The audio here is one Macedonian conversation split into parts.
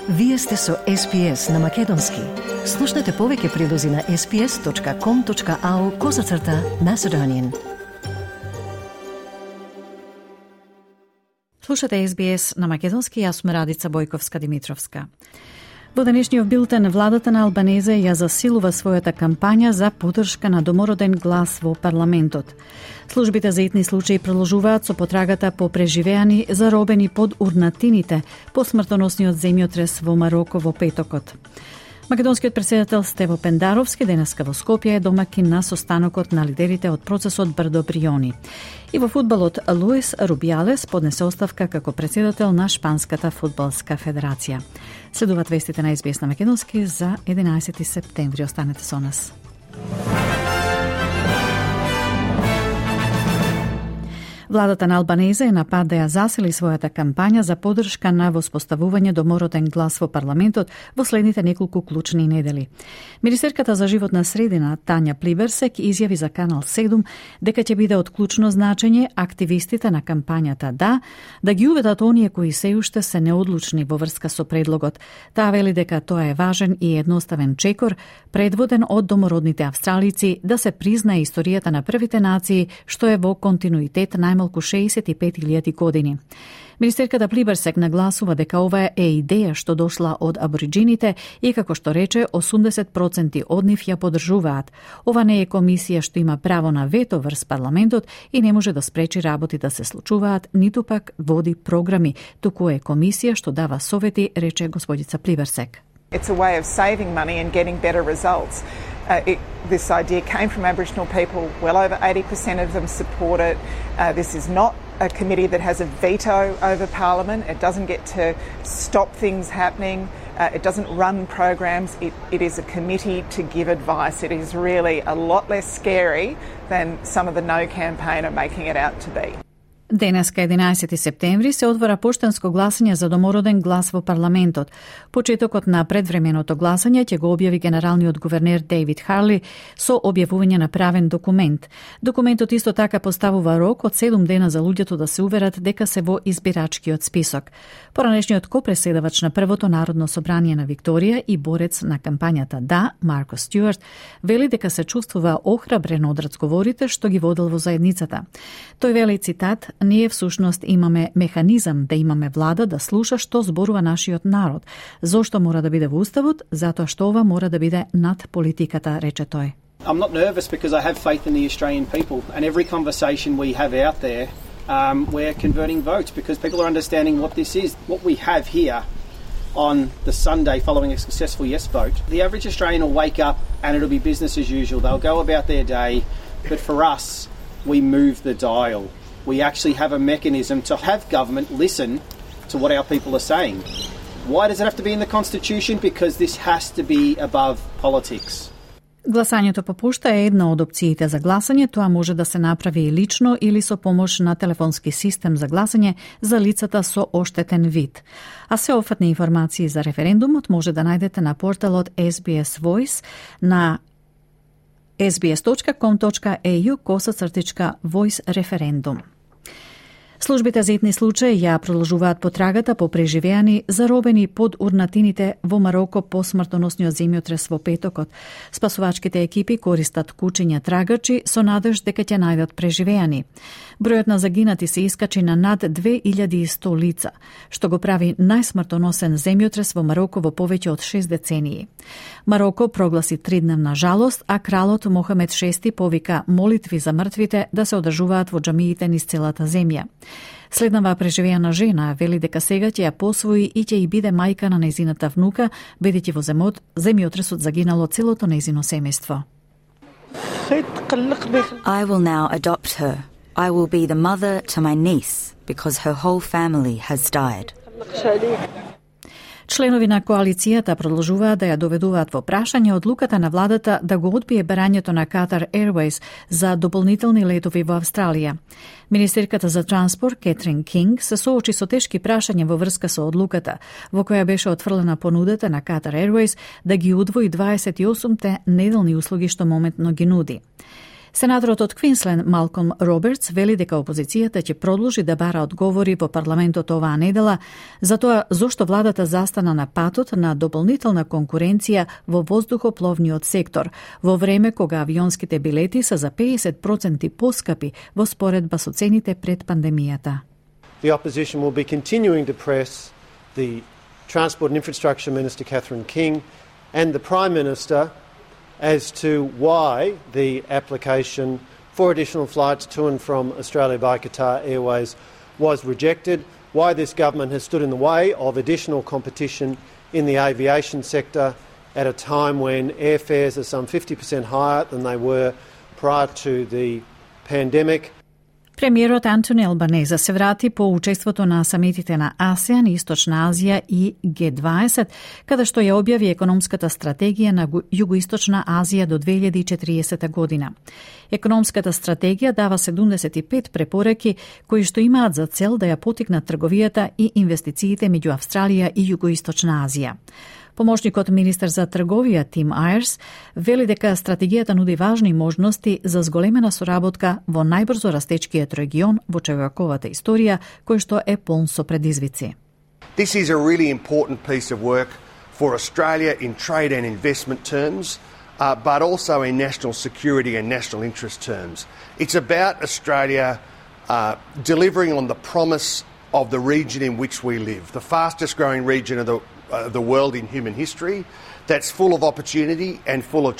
Вие сте со SPS на Македонски. Слушнете повеќе прилози на sps.com.au/Macedonian. Слушате SBS на Македонски, јас сум Радица Бојковска-Димитровска. Во денешниот билтен, владата на Албанезе ја засилува својата кампања за поддршка на домороден глас во парламентот. Службите за итни случаи продолжуваат со потрагата по преживеани заробени под урнатините по смртоносниот земјотрес во Мароко во петокот. Македонскиот претседател Стево Пендаровски денеска во Скопје е домакин на состанокот на лидерите од процесот Брдо Бриони. И во фудбалот Луис Рубиалес поднесе оставка како претседател на Шпанската фудбалска федерација. Следуваат вестите на SBS на Македонски за 11 септември. Останете со нас. Владата на Албанезе е на пат да ја засили својата кампања за поддршка на воспоставување домороден глас во парламентот во следните неколку клучни недели. Министерката за животна средина Тања Плиберсек изјави за Канал 7 дека ќе биде од клучно значење активистите на кампањата да ги уведат оние кои се уште се неодлучни во врска со предлогот. Таа вели дека тоа е важен и едноставен чекор, предводен од домородните австралици, да се признае историјата на првите нации, што е во континуитет најмалку 65.000 години. Министерката Плиберсек нагласува дека ова е идеја што дошла од абориджините и, како што рече, 80% од нив ја поддржуваат. Ова не е комисија што има право на вето врз парламентот и не може да спречи работи да се случуваат, ниту пак води програми, туку е комисија што дава совети, рече господица Плиберсек. It's a way of saving money and getting better results. This idea came from Aboriginal people. Well over 80% of them support it. This is not a committee that has a veto over Parliament. It doesn't get to stop things happening. It doesn't run programs. It is a committee to give advice. It is really a lot less scary than some of the No campaign are making it out to be. Денеска 11 септември се отвора поштенско гласање за домороден глас во парламентот. Почетокот на предвременото гласање ќе го објави генералниот гувернер Дейвид Харли со објавување на правен документ. Документот исто така поставува рок од 7 дена за луѓето да се уверат дека се во избирачкиот список. Поранешниот копреседавач на првото народно собрание на Викторија и борец на кампањата Марко Стюарт, вели дека се чувствува охрабрен од разговорите што ги водел во заедницата. Тој вели, цитат: "Ние всушност имаме механизам да имаме влада да слуша што зборува нашиот народ. Зошто мора да биде во уставот? Затоа што ова мора да биде над политиката", рече тој. I'm not nervous because I have faith in the Australian people, and every conversation we have out there, we're converting votes because people are understanding what this is. What we have here on the Sunday following a successful yes vote, the average Australian will wake up and it'll be business as usual. They'll go about their day, but for us, we move the dial. We actually have a mechanism to have government listen to what our people are saying. Why does it have to be in the Constitution? Because this has to be above politics. Гласањето по пошта е една од опциите за гласање. Тоа може да се направи и лично или со помош на телефонски систем за гласање за лицата со оштетен вид. А се офатни информации за референдумот може да најдете на порталот SBS Voice на sbs.com.au/voice референдум. Службите за итни случаи ја продолжуваат потрагата по преживеани заробени под урнатините во Мароко по смртоносниот земјотрес во петокот. Спасувачките екипи користат кучиња трагачи со надеж дека ќе најдат преживеани. Бројот на загинати се искачи на над 2100 лица, што го прави најсмртоносен земјотрес во Мароко во повеќе од 6 децении. Мароко прогласи 3-дневна жалост, а кралот Мохамед VI повика молитви за мртвите да се одржуваат во џамиите низ целата земја. Следнава преживеана жена вели дека сега ќе ја посвои и ќе и биде мајка на нејзината внука, бидејќи во земјотресот загинало целото нејзино семејство. I will now adopt her. I will be the mother to my niece because her whole family has died. Членови на коалицијата продолжуваат да ја доведуваат во прашање одлуката на владата да го одбие барањето на Qatar Airways за дополнителни летови во Австралија. Министерката за транспорт Кетрин Кинг се соочи со тешки прашања во врска со одлуката, во која беше отфрлена понудата на Qatar Airways да ги удвои 28-те неделни услуги што моментно ги нуди. Сенаторот од Квинсленд Малком Робертс вели дека опозицијата ќе продолжи да бара одговори во парламентот оваа недела за тоа зошто владата застана на патот на дополнителна конкуренција во воздухопловниот сектор, во време кога авионските билети се за 50% поскапи во споредба со цените пред пандемијата. The opposition will be continuing to press the Transport and Infrastructure Minister Catherine King and the Prime Minister as to why the application for additional flights to and from Australia by Qatar Airways was rejected, why this government has stood in the way of additional competition in the aviation sector at a time when airfares are some 50% higher than they were prior to the pandemic. Премиерот Антони Албанеза се врати по учеството на самитите на АСЕАН, Источна Азија и Г20, каде што ја објави економската стратегија на Југоисточна Азија до 2040 година. Економската стратегија дава 75 препораки кои што имаат за цел да ја потикнат трговијата и инвестициите меѓу Австралија и Југоисточна Азија. Помошникот министер за трговија Тим Ајерс вели дека стратегијата нуди важни можности за зголемена соработка во најбрзо растечкиот регион во човековата историја, кој што е полн со предизвици. This is a really important piece of work for Australia in trade and investment terms, but also in national security and national interest terms. It's about Australia delivering on the promise of the region in which we live, the fastest growing region of the world in human history, that's full of opportunity and full of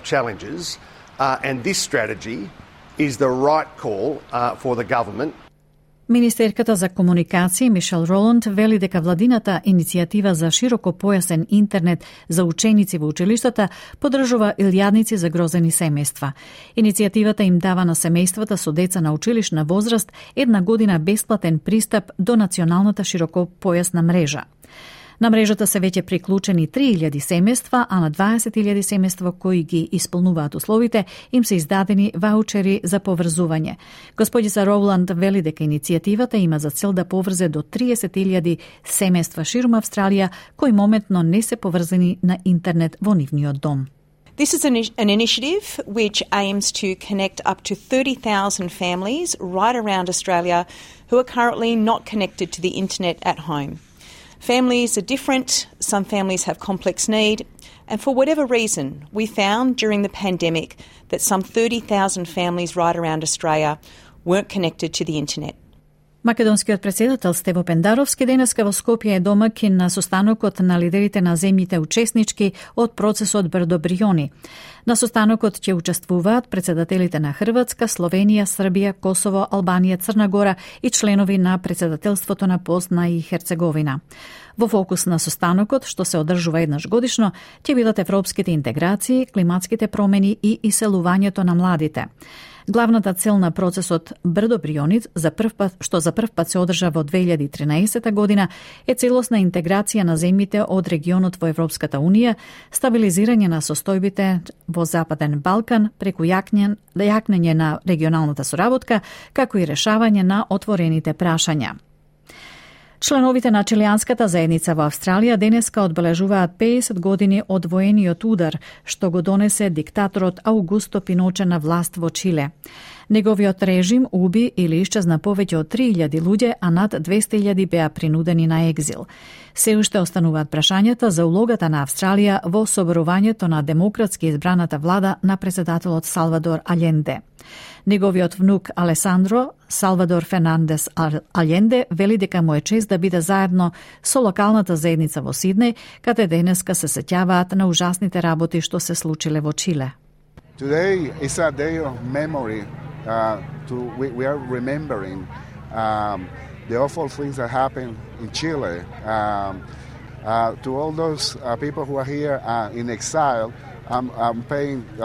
challenges, and this strategy is the right call for the government. Министерката за комуникација Мишел Роланд вели дека владината иницијатива за широкопојасен интернет за ученици во училиштата поддржува илјадници загрозени семејства. Иницијативата им дава на семејствата со деца на училишна возраст 1 година бесплатен пристап до националната широкопојасна мрежа. На мрежата се веќе приклучени 3000 семејства, а на 20.000 семејства кои ги исполнуваат условите им се издадени ваучери за поврзување. Господица Роуланд вели дека иницијативата има за цел да поврзе до 30.000 семејства ширум Австралија кои моментно не се поврзани на интернет во нивниот дом. This is an initiative which aims to connect up to 30,000 families right around Australia who are currently not connected to the internet at home. Families are different, some families have complex need, and for whatever reason, we found during the pandemic that some 30,000 families right around Australia weren't connected to the internet. Македонскиот претседател Стево Пендаровски денеска во Скопје е домакин на состанокот на лидерите на земјите учеснички од процесот Брдо-Бриони. На состанокот ќе учествуваат претседателите на Хрватска, Словенија, Србија, Косово, Албанија, Црна Гора и членови на претседателството на Босна и Херцеговина. Во фокус на состанокот, што се одржува еднаш годишно, ќе бидат европските интеграции, климатските промени и иселувањето на младите. Главната цел на процесот Брдо-Бриони, што за прв пат се одржа во 2013 година, е целосна интеграција на земјите од регионот во Европската Унија, стабилизирање на состојбите во Западен Балкан преку јакнење на регионалната соработка, како и решавање на отворените прашања. Членовите на чилијанската заедница во Австралија денеска одбележуваат 50 години од воениот удар што го донесе диктаторот Аугусто Пиноче на власт во Чиле. Неговиот режим уби или исчезна повеќе од 3000 луѓе, а над 200.000 беа принудени на екзил. Се уште остануваат прашањата за улогата на Австралија во соборувањето на демократски избраната влада на претседателот Салвадор Аленде. Неговиот внук Алесандро Салвадор Фернандес Аленде вели дека му е чест да биде заедно со локалната заедница во Сиднеј, каде денеска се сеќаваат на ужасните работи што се случиле во Чиле. Today is a day of memory. We are remembering the awful things that happened in Chile. To all those people who are here in exile,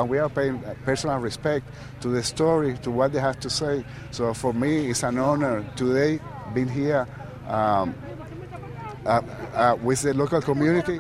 we are paying personal respect to the story, to what they have to say. So for me, it's an honor today being here with the local community.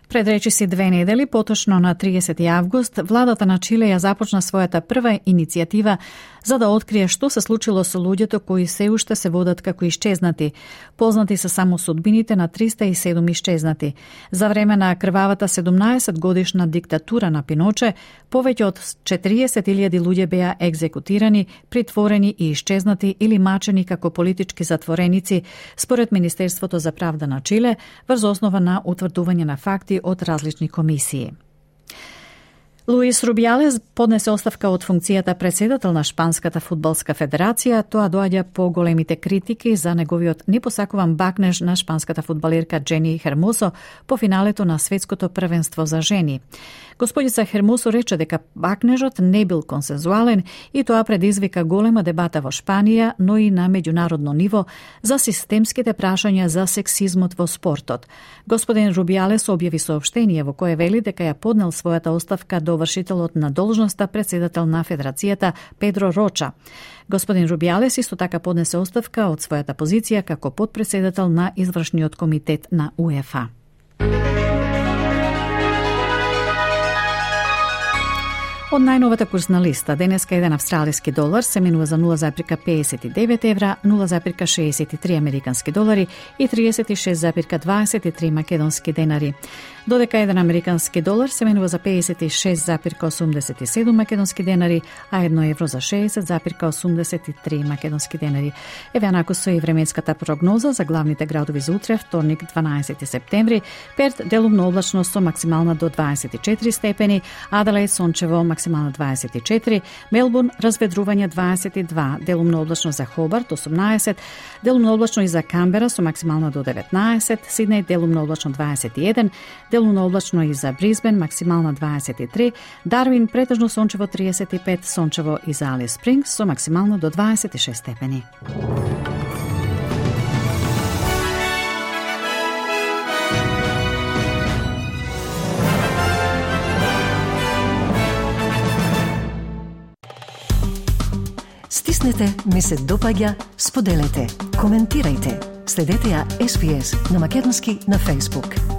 Пред речиси 2 недели, поточно на 30 август, владата на Чиле ја започна својата прва иницијатива за да открие што се случило со луѓето кои се уште се водат како ишчезнати. Познати се само судбините на 307 ишчезнати. За време на крвавата 17-годишна диктатура на Пиноче, повеќе од 40.000 луѓе беа екзекутирани, притворени и ишчезнати или мачени како политички затвореници, според Министерството за правда на Чиле, врз основа на утврдување на факти од различни комисии. Луис Рубијалес поднесе оставка од функцијата председател на Шпанската фудбалска федерација. Тоа доаѓа по големите критики за неговиот непосакуван бакнеж на шпанската фудбалерка Джени Хермосо по финалето на светското првенство за жени. Господица Хермосо рече дека бакнежот не бил консензуален и тоа предизвика голема дебата во Шпанија, но и на меѓународно ниво за системските прашања за сексизмот во спортот. Господин Рубијалес објави соопштение во кое вели дека ја поднел својата оставка до вршителот на должноста председател на Федерацијата Педро Роча. Господин Рубијалес исто така поднесе оставка од својата позиција како потпредседател на извршниот комитет на УЕФА. Од најновата курсна листа, денеска еден австралиски долар се менува за 0,59 евра, 0,63 американски долари и 36,23 македонски денари. Додека еден американски долар се менува за 56,87 македонски денари, а 1 евро за 60,83 македонски денари. Еве накусо и временската прогноза за главните градови за утре, вторник 12 септември. Перт делумно облачно со максимална до 24 степени, Аделаид сончево максимална 24, Мелбурн разведрување 22, делумно облачно за Хобарт 18, делумно облачно и за Камбера со максимална до 19, Сиднеј делумно облачно 21, делумно облачно и за Брисбен максимална 23, Дарвин претежно сончево 35, сончево и за Алис Спрингс со максимално до 26 степени. Стиснете, ми се допаѓа, споделете, коментирајте. Следете ја SPS на Македонски на Facebook.